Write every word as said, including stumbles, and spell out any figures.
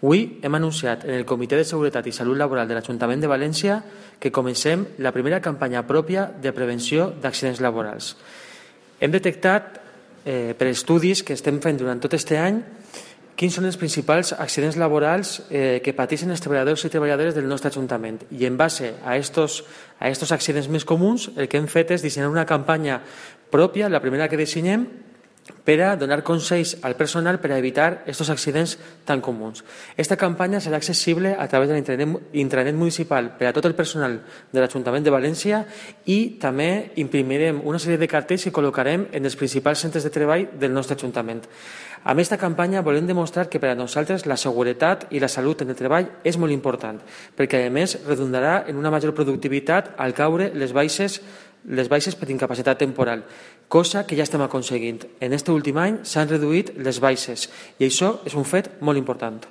Avui hem anunciat en el Comitè de Seguretat i Salut Laboral de l'Ajuntament de València que comencem la primera campanya pròpia de prevenció d'accidents laborals. Hem detectat eh, per estudis que estem fent durant tot aquest any quins són els principals accidents laborals eh, que pateixen els treballadors i treballadores del nostre Ajuntament. I en base a estos, a estos accidents més comuns, el que hem fet és dissenyar una campanya pròpia, la primera que dissenyem, per a donar consells al personal per a evitar aquests accidents tan comuns. Aquesta campanya serà accessible a través de l'intranet municipal per a tot el personal de l'Ajuntament de València i també imprimirem una sèrie de cartells que col·locarem en els principals centres de treball del nostre Ajuntament. Amb aquesta campanya volem demostrar que per a nosaltres la seguretat i la salut en el treball és molt important, perquè a més redundarà en una major productivitat al caure les baixes les baixes per incapacitat temporal, cosa que ja estem aconseguint. En aquest últim any s'han reduït les baixes i això és un fet molt important.